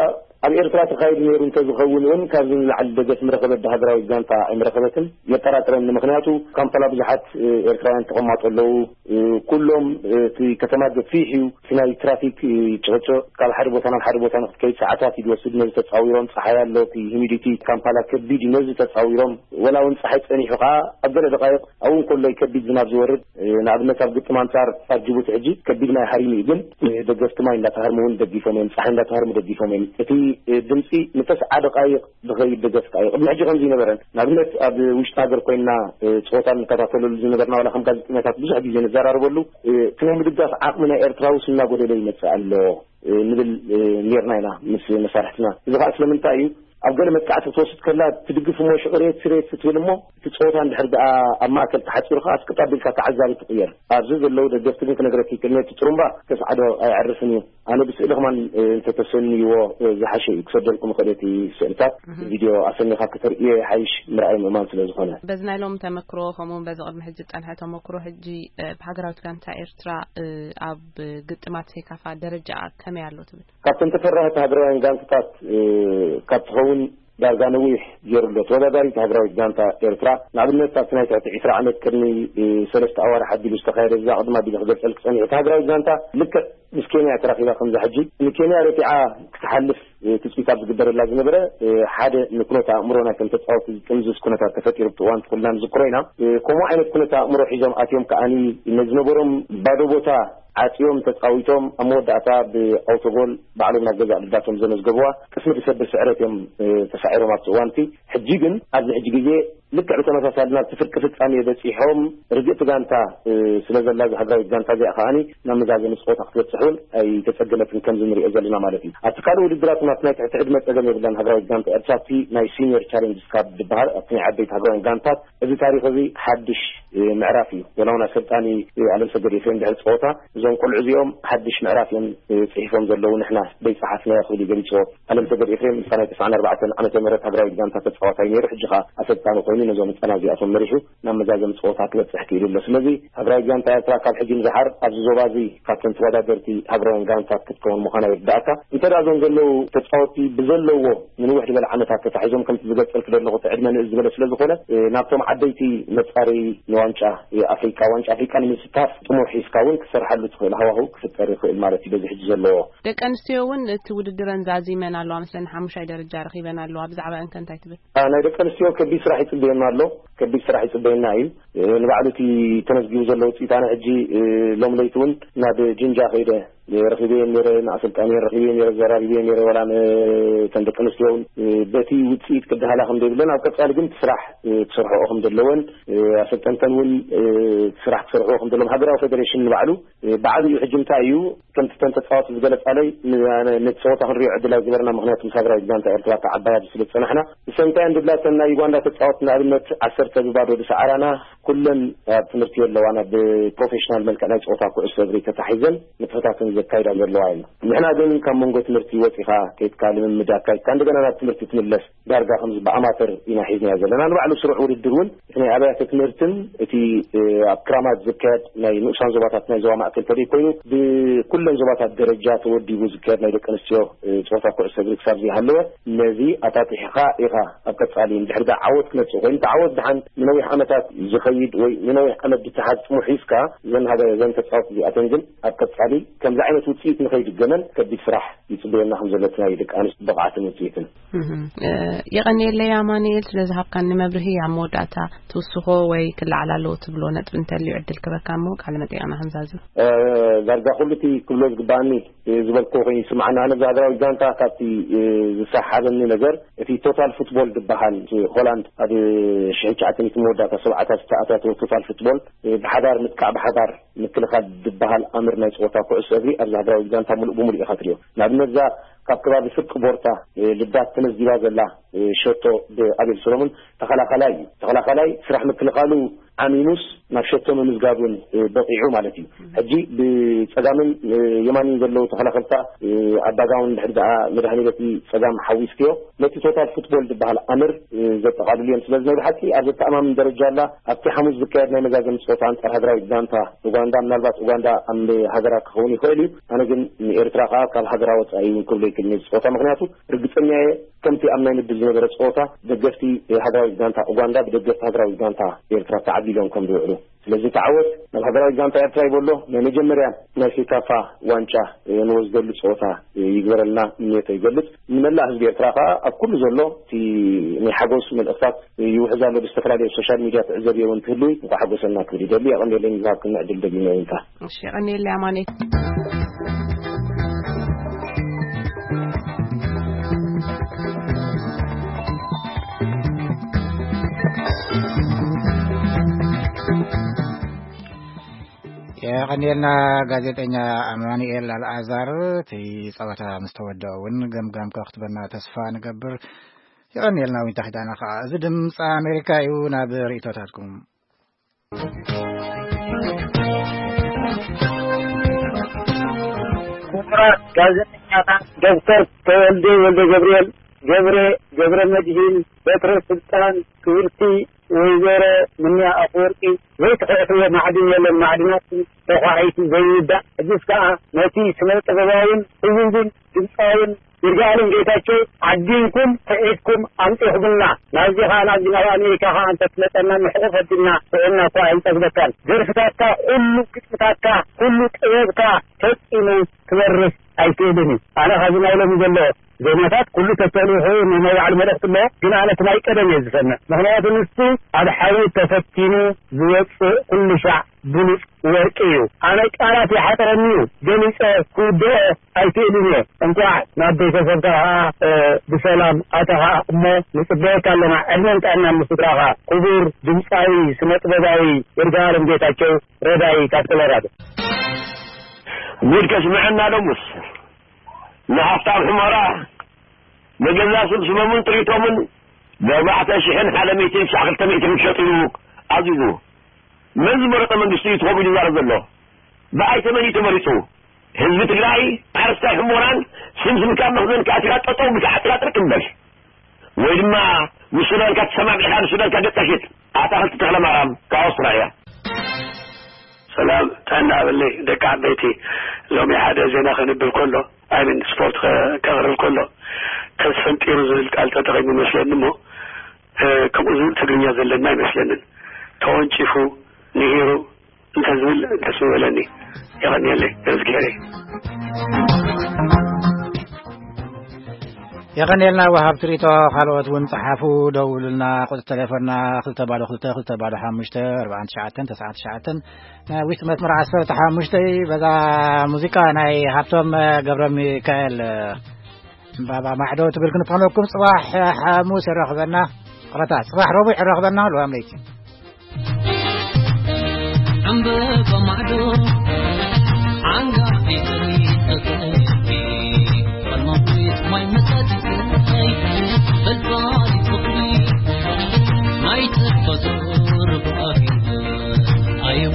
ኣብ ኤርትራ ተኻይዱ ነይሩ እንተዝኸውን እውን ካብዚ ንላዕሊ ደገፍ ምረኸበት ሃገራዊት ጋንታ ኣይምረኸበትን። የጠራጥረኒ። ምኽንያቱ ካምፓላ ብዙሓት፣ እ፣ ኤርትራውያን ተቐማጦ ኣለዉ። እ፣ ኩሎም፣ እ፣ እቲ ከተማ ገፊሕ እዩ። እቲ ናይ ትራፊክ፣ እ፣ ጭቕጭቕ ካብ ሓደ ቦታ ናብ ሓደ ቦታ ንክትከይድ ሰዓታት እዩ ዝወስድ። ነዚ ተጻዊሮም፣ ጸሓይ ኣሎ፣ እቲ ሂሚዲቲ ካምፓላ ከቢድ እዩ። ነዚ ተጻዊሮም ወላ እውን ጸሓይ ጸኒሑ ከኣ ኣብ ገለ ደቃይቕ ኣብኡ እንከሎ እዩ ከቢድ ዝናብ ዝወርድ። እ፣ ንኣብነት ኣብ ግጥም ኣንጻር ኣብ ጅቡቲ ሕጂ ከቢድ ማይ ሃሪሙ እዩ፣ ግን፣ እ፣ ደገፍቲ ማይ እንዳተሃርሙ እውን ደጊፎም እዮም፣ ጸሓይ እንዳተሃርሙ ደጊፎም እዮም። እቲ፣ እ፣ ድምጺ ንተስዓ ደቃይቕ ዝኸይድ ደገፍ ከኣ እዩ። ቅድሚ ሕጂ ከምዚ ይነበረን። ንኣብነት ኣብ ውሽጢ ሃገር ኮይንና፣ እ፣ ጸወታ ንከታተለሉ ዝነበርና ዋላ ከም ጋዜጠኛታት ብዙሕ ግዜ ንዘራረበሉ፣ እ፣ እቲ ናይ ምድጋፍ ዓቕሚ ናይ ኤርትራ ውስ እናጎደለ ይመጽእ ኣሎ፣ እ፣ ንብል፣ እ፣ ኔርና ኢና ምስ መሳርሕትና። እዚ ከኣ ስለምንታይ እዩ? ኣብ ገለ መጥቃዕቲ ክትወስድ ከላ ትድግፍ እሞ ሽቕሬት ስሬት ክትብል እሞ እቲ ጸወታ እንድሕር ደኣ ኣብ ማእከል ተሓጺሩ ከኣ ኣስቅጥ ኣቢልካ ተዓዛቢ ትቕየር። ኣብዚ ዘለዉ ደገፍቲ ግን ክነግረኪ ክእል ነቲ ጥሩምባ ከስዓዶ ኣይዕርፍን እዩ። ኣነ ብስእሊ ከማን፣ እ፣ እንተተሰንይዎ፣ እ፣ ዝሓሸ እዩ። ክሰደልኩም እኽእል እቲ ስእልታት እህ። ቪድዮ ኣሰኒኻ ከተርእዮ ይሓይሽ ምርኣይ ምእማን ስለ ዝኾነ። በዚ ናይ ሎም ተመክሮ ከምኡ እውን በዚ ቅድሚ ሕጂ ዝጸንሐ ተመክሮ ሕጂ፣ እ፣ ብሃገራዊት ጋንታ ኤርትራ፣ እ፣ ኣብ ግጥማት ሴካፋ ደረጃ ከመይ ኣሎ ትብል? ካብተን ተፈራህቲ ሃገራውያን ጋንታታት፣ እ፣ ካብ ትኸውን ዳርጋ ነዊሕ ገይሩ ኣሎ። ተወዳዳሪት ሃገራዊት ጋንታ ኤርትራ፣ ንኣብነት ኣብቲ ናይ ትሕቲ ዕስራ ዓመት ቅድሚ፣ እ፣ ሰለስተ ኣዋርሕ ኣቢሉ ዝተኻየደ፣ እዛ ቅድማ ኣቢለ ክገልጸልክ ጸኒሐ። እታ ሃገራዊት ጋንታ ልክዕ ምስ ኬንያ ተራኺባ ከምዛ ሕጂ ንኬንያ ረቲዓ ክትሓልፍ፣ እ፣ ትጽቢት ኣብ ዝግበረላ ዝነበረ፣ እ፣ ሓደ ንኩነት ኣእምሮ ናይቶም ተጻወቲ ዝጥምዝዝ ኩነታት ተፈጢሩ ብቲ እዋን ኩልና ንዝክሮ ኢና። እ፣ ከምኡ ዓይነት ኩነት ኣእምሮ ሒዞም ኣትዮም ከኣኒ ነዝነበሮም ባዶ ቦታ ዓጽዮም ተጻዊቶም ኣብ መወዳእታ ብኣውቶጎል ባዕሎም ናብ ገዛእ ልዳቶም ዘመዝገቡዋ ቅስሚ ዝሰብር ስዕረት እዮም፣ እ፣ ተሳዒሮም ኣብቲ እዋን እቲ። ሕጂ ግን ኣብዚ ሕጂ ግዜ ልክዕ ብተመሳሳሊ ናብቲ ፍርቂ ፍጻሜ በጺሖም ርግእቲ ጋንታ፣ እ፣ ስለ ዘላ እዛ ሃገራዊት ጋንታ እዚኣ ከኣኒ ናብ መዛዘሚ ጸወታ ክትበጽሕ እውን ኣይተጸገመትን ከምዚ ንሪኦ ዘለና ማለት እዩ። ኣብቲ ካልእ ውድድራት እውን ኣብቲ ናይ ትሕቲ ዕድመ ጸገም የብላን ሃገራዊት ጋንታ ኤርትራ ኣብቲ ናይ ሲኒየር ቻሌንጅስ ካፕ ዝበሃል ኣብቲ ናይ ዓበይቲ ሃገራውያን ጋንታት እዚ ታሪኽ እዚ ሓድሽ፣ እ፣ ምዕራፍ እዩ። ወላ እውን ኣሰልጣኒ፣ እ፣ ኣለምሰገድ ኤፍሬም ድሕሪ ጸወታ እዞም ቆልዑ እዚኦም ሓድሽ ምዕራፍ እዮም፣ እ፣ ጽሒፎም ዘለዉ፣ ንሕና ደይጸሓፍናዮ ክብል እዩ ገሊጽዎ። ኣለምሰገድ ኤፍሬም ምስታ ናይ ተስዓን ኣርባዕተን ዓመተ ምህረት ሃገራዊት ጋንታ ተጻዋታይ ነይሩ፣ ሕጂ ከኣ ኣሰልጣኒ ኮይኑ ነዞም ህጻናት እዚኣቶም መሪሑ ናብ መዛዘሚ ጸወታ ክበጽሕ ክኢሉ ኣሎ። ስለዚ ሃገራዊት ጋንታ ኤርትራ ካብ ሕጂ ንደሓር ኣብዚ ዞባ እዚ ካብተን ተወዳደርቲ ሃገራውያን ጋንታት ክትከውን ምዃና ይርዳእካ። እንተ ደኣ እዞም ዘለዉ ተጻወትቲ ብዘለዎ ንንውሕ ዝበለ ዓመታት ተታሒዞም ከምቲ ዝገልጸልክ ዘለኹ እቲ ዕድመ ንእስ ዝበለ ስለ ዝኾነ፣ እ፣ ናብቶም ዓበይቲ መጻረዪ ንዋንጫ፣ እ፣ ኣፍሪቃ፣ ዋንጫ ኣፍሪቃ ንምስታፍ ጥሙሕ ሒዝካ እውን ክትሰርሓሉ ትኽእል ሃዋህው ክፍጠር ይኽእል ማለት እዩ በዚ ሕጂ ዘለዎ። ደቂ ኣንስትዮ እውን እቲ ውድድረን ዛዚመን ኣለዋ መስለኒ፣ ሓሙሻይ ደረጃ ረኺበን ኣለዋ። ብዛዕባ እንከ እንታይ ትብል? አ፣ ናይ ደቂ ኣንስትዮ ከቢድ ስራሕ ይጽበየና ኣሎ። ከቢድ ስራሕ ይጽበየና እዩ። እ፣ ንባዕሉ እቲ ተመዝጊቡ ዘሎ ውጽኢት ኣነ ሕጂ፣ እ፣ ሎም ለይቲ እውን ናብ ጅንጃ ከይደ፣ እ፣ ረኺበየን ነይረ፣ ንኣሰልጣኒየን ረኺበየን ነይረ፣ ዘራሪበየን ነይረ፣ ዋላ ን-፣ እተን ደቂ ኣንስትዮ እውን፣ እ፣ በቲ ውጽኢት ክደሃላ ከም ዘይብለን፣ ኣብ ቀጻሊ ግን እቲ ስራሕ፣ እ፣ ክሰርሕኦ ከም ዘለወን፣ እ፣ ኣሰልጠንተን እውን፣ እ፣ እቲ ስራሕ ክሰርሕዎ ከም ዘለዎም ሃገራዊ ፌደሬሽን ንባዕሉ፣ እ፣ ብዓብዩ ሕጂ እንታይ እዩ፣ ከምቲ እተን ተጻወቲ ዝገለጻለይ፣ ን-፣ ን-፣ ነቲ ጸወታ ክንሪኦ ዕድል ኣይገበርና፣ ምኽንያቱ ምስ ሃገራዊት ጋንታ ኤርትራ ተዓባይ ኣብዚ ስለ ዝጸናሕና። ብሰንታየን ድብላተን ናይ ዩጋንዳ ተጻወቲ ንኣብነት ዓሰርተ ብባዶ ዝሰዓራና፣ ኩለን ኣብ ትምህርቲ የለዋን፣ ኣብ ፕሮፌሽናል መልክዕ ናይ ጸወታ ኩዕሶ እግሪ ተታሒዘን ንጥፈታተን ዘካይዳ ዘለዋ እየን። ንሕና ግን ካብ መንጎ ትምህርቲ ወጺኻ ከይድካ ልምምድ ኣካይድካ እንደገና ናብ ትምህርቲ ትምለስ ዳርጋ ከምዚ ብኣማተር ኢና ሒዝናዮ ዘለና። ንባዕሉ ስሩዕ ውድድር እውን እቲ ናይ ኣብያተ ትምህርትን እቲ፣ እ፣ ኣብ ክራማት ዝካየድ ናይ ንኡሳን ዞባታት ናይ ዞባ ማእከል ተደይ ኮይኑ ብኩለን ዞባታት ደረጃ ተወዲቡ ዝካየድ ናይ ደቂ ኣንስትዮ፣ እ፣ ጸወታ ኩዕሶ እግሪ ክሳብ ዘይሃለወ ነዚ ኣጣጢሕኻ ኢኻ ኣብ ቀጻሊ እንድሕር ደኣ ዓወት ክመጽእ ኮይኑ፣ እቲ ዓወት ደሓን ንነዊሕ ዓመታት ዝኸይድ ወይ ንነዊሕ ዓመት ዝትሓዝ ጥሙሕ ሒዝካ ዘን ሃገ-፣ ዘን ተጻወቲ እዚኣተን ግን ኣብ ቀጻሊ ከምዚ ዓይነት ውጽኢት ንኸይድገመን ከቢድ ስራሕ ይጽበየና ከም ዘሎ እቲ ናይ ደቂ ኣንስትዮ ብቕዓትን ውጽኢትን። እህም። እ፣ የቐንየለይ ኣማኑኤል ስለ ዝሃብካኒ መብርሂ። ኣብ መወዳእታ ትውስኾ ወይ ክለዓል ኣለዎ ትብሎ ነጥቢ እንተልዩ ዕድል ክበካ እሞ ቃለ መጠይቕና ክንዛዝም። እ፣ ዳርጋ ኩሉ እቲ ክብሎ ዝግባኣኒ፣ እ፣ ዝበልክዎ ኮይኑ ይስምዓኒ። ኣነ ብዛ ሃገራዊት ጋንታ ካብቲ፣ እ፣ ዝሰሓበኒ ነገር እቲ ቶታል ፉትቦል ዝበሃል፣ እቲ ሆላንድ ኣብ ሽሕን ትሽዓተን ሚእቲ መወዳእታ ሰብዓታት ኣታቶ ቶታል ፉትቦል፣ እ፣ ብሓባር ምጥቃዕ፣ ብሓባር ምክልኻል ዝበሃል ኣምር ናይ ጸወታ ኩዕሶ እግሪ ኣብዚ ሃገራዊ ጋንታ ምሉእ ብምሉእ ኢኻ ትሪኦ። ንኣብነት፣ እዛ ካብ ከባቢ ፍርቂ ቦርታ፣ እ፣ ልዳት ተመዝጊባ ዘላ፣ እ፣ ሸቶ ብኣቤል ሰሎሞን ተኸላኻላይ እዩ። ተኸላኻላይ ስራሕ ምክልኻሉ ዓሚሙስ ናብ ሸቶ ምምዝጋብ እውን፣ እ፣ በቒዑ ማለት እዩ። ሕጂ ብጸጋምን፣ እ፣ የማንን ዘለዉ ተኸላኸልታ፣ እ፣ ኣባጋውን ድሕሪ ደኣ መድሃኒ በቲ ጸጋም ሓዊስክዮ፣ ነቲ ቶታል ፉትቦል ዝበሃል ኣምር፣ እ፣ ዘጠቓልሉ እዮም። ስለዚ ናይ ብሓቂ ኣብ ዘተኣማምን ደረጃ ኣላ። ኣብቲ ሓሙስ ዝካየድ ናይ መዛዘሚ ጸወታ ኣንጻር ሃገራዊት ጋንታ ኡጋንዳ፣ ምናልባት ኡጋንዳ ኣብ ሃገራ ክኸውን ይኽእል እዩ። ኣነ ግን ንኤርትራ ከኣ ካብ ሃገራ ወጻኢ እውን ክብሎ ይክእል ነዚ ጸወታ፣ ምኽንያቱ ርግጸኛ እየ፣ ከምቲ ኣብ ናይ ምድብ ዝነበረ ጸወታ ደገፍቲ ሃገራዊት ጋንታ ኡጋንዳ ብደገፍቲ ሃገራዊት ጋንታ ኤርትራ ተዓቢሎም ከም ዝውዕሉ። ስለዚ ተዓወት ናብ ሃገራዊት ጋንታ ኤርትራ ይበሎ። ናይ መጀመርያ ናይ ሴካፋ ዋንጫ፣ እ፣ ንወስደሉ ጸወታ፣ እ፣ ይግበረልና ምንዮተ ይገልጽ። ንመላእ ህዝቢ ኤርትራ ከኣ ኣብ ኩሉ ዘሎ እቲ ናይ ሓጎስ መልእኽታት ይውሕዝ ኣሎ። ብዝተፈላለየ ሶሻል ሚድያ ትዕዘብዮ እውን ትህልዊ፣ እንኳዕ ሓጎሰና ክብል ይደሊ። የቐንየለይ ንዝሃብክና ዕድል ደጊመ ይንታ። እሺ፣ የቐንየለይ ኣማኑኤል። የቐንየልና ጋዜጠኛ ኣማኑኤል ኣልኣዛር። እቲ ጸወታ ምስ ተወደኦ እውን ገምጋምካ ክትበና ተስፋ ንገብር። የቐንየልና ዊንታ ኪዳነ ከኣ። እዚ ድምፂ ኣሜሪካ እዩ። ናብ ርእይቶታትኩም። ክቡራት ጋዜጠኛታት ዶክተር ተወልደ ወልደ ገብርኤል፣ ገብረ፣ ገብረ መድሂን፣ በትረ ስልጣን፣ ክብርቲ ወይዘሮ ምንያ ኣፈወርቂ፣ ዘይትሕሕዎ ማዕድን የለን፣ ማዕድናት ተኳዒቱ ዘይውዳእ። ሕጅስ ከኣ ነቲ ስነ ጥበባውን ህውንድን ድምፃውን ይርጋለም ጌታቸው ዓዲንኩም ክዒድኩም ኣምፂኹምና። ናብዚ ከኣ ናብዚ ናብ ኣሜሪካ ከኣ እንተትመፀና ምሕቑፍ ኣቢልና ጥዕና እኳ ኣይንጠግበካን። ደርፍታትካ ኩሉ፣ ግጥምታትካ ኩሉ፣ ጥበብካ ፈፂሙ ክበርህ ኣይክእልን እዩ። ኣነ ካብዚ ናይ ሎሚ ዘሎ ዜማታት ኩሉ ተሰሪሑ ናይ ባዕሉ መልእኽቲ ኣለዎ፣ ግን ኣነ እቲ ናይ ቀደም እየ ዝሰምዕ። ምኽንያቱ ንሱ ኣብ ሓዊ ተፈቲኑ ዝወፅእ ኩሉ ሻዕ ብሉፅ ወርቂ እዩ። ኣነ ቃላት ይሓፅረኒ እዩ፣ ገሊፀ ክውድኦ ኣይክእልን እየ። እንኳዕ ናብ ቤተሰብካ ከዓ፣ እ፣ ብሰላም ኣተኻ እሞ ንፅበየካ ኣለና። ዕድመን ጥዕናን ንስድራኻ። ክቡር ድምፃዊ ስነ ጥበባዊ ይርጋለም ጌታቸው ረዳይ ካብ ኮሎራዶ። ጉድ ከስምዐና ሎምስ ንሃፍታም ሕሞራ ንገዛ ስብስቦምን ጥሪቶምን ብኣርባዕተ ሽሕን ሓደ ሚእትን ክሳዕ ክልተ ሚእትን ክሸጡ ኢሉ ኣዚዙ። መን ዝመረጠ መንግስቲ እዩ ትኾም ኢሉ ይዛረብ ዘሎ? ብኣይ ተመን እዩ ተመሪጹ? ህዝቢ ትግራይ ሓረስታይ ሕሞራን ስምስምካ መኽዘን ከኣቲኻ ጠጠው ብካ ዓጢራ ጥርቅ በል። ወይ ድማ ንሱዳንካ ተሰማሚዕካ ንሱዳንካ ገጽካ ሽጥ። ኣታኽልቲ ተኽለማርያም ካብ ኣውስትራልያ። ሰላም ጥዕና በለይ ደቂ ዓበይቲ። ሎሚ ሓደ ዜና ከንብብ ከሎ፣ ኣይምን ስፖርት ከ-፣ ከቕርብ ከሎ፣ ተስፈንጢሩ ዝብል ቃል ተጠቒሙ መስለኒ እሞ፣ እ፣ ከምኡ ዝብል ትግርኛ ዘለና ኣይመስለንን። ተወንጪፉ፣ ንሂሩ እንተዝብል ደስ ምበለኒ። የቐንየለይ፣ እዝግሄረይ። የቐንየልና ወሃብቲ ሪቶ። ካልኦት እውን ጸሓፉ፣ ደውሉልና። ቁጽሪ ቴሌፎንና ክልተ ባዶ ክልተ፣ ክልተ ባዶ ሓሙሽተ፣ ኣርባዓን ትሽዓተን፣ ተስዓን ትሽዓተን። ናይ ውሽጢ መስመር ዓሰርተ ሓሙሽተ። በዛ ሙዚቃ ናይ ሃብቶም ገብረ ሚካኤል፣ ዕምባባ ማዕዶ ትብል ክንፋነኩም። ጽባሕ ሓሙስ የራኽበና። ቕረታ፣ ጽባሕ ረቡዕ የራኽበና። ልዋም ለይቲ። ዕምባባ ማዕዶ ዓንጋፊ ትርኢት ተኽእልኪ፣ ፈልማዊት ማይ መጻዲት ሰይ፣ ፈልፋሊት ፍቕሪ ናይ ተፈጥሮ ርባሂ፣ ኣየወ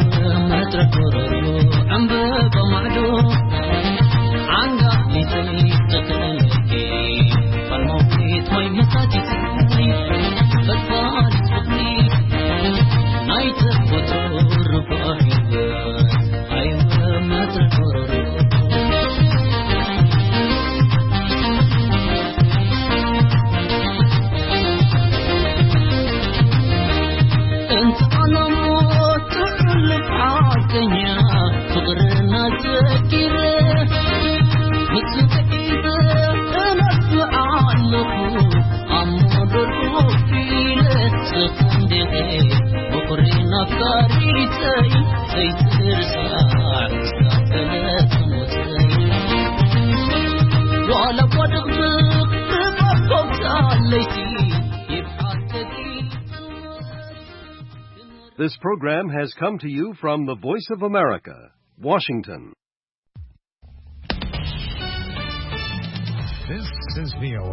መድረኽ ጎረሮ። ዕምባባ ማዕዶ ዓንጋፊ ትርኢት ተኽእልኪ፣ ፈልማዊት ማይ መጻዲት ሰይ፣ ፈልፋሊት ፍቕሪ ናይ ተፈጥሮ ርባሂ፣ ኣየወ መድረኽ ጎረሮ። This program has come to you from the Voice of America, Washington. This is V O A.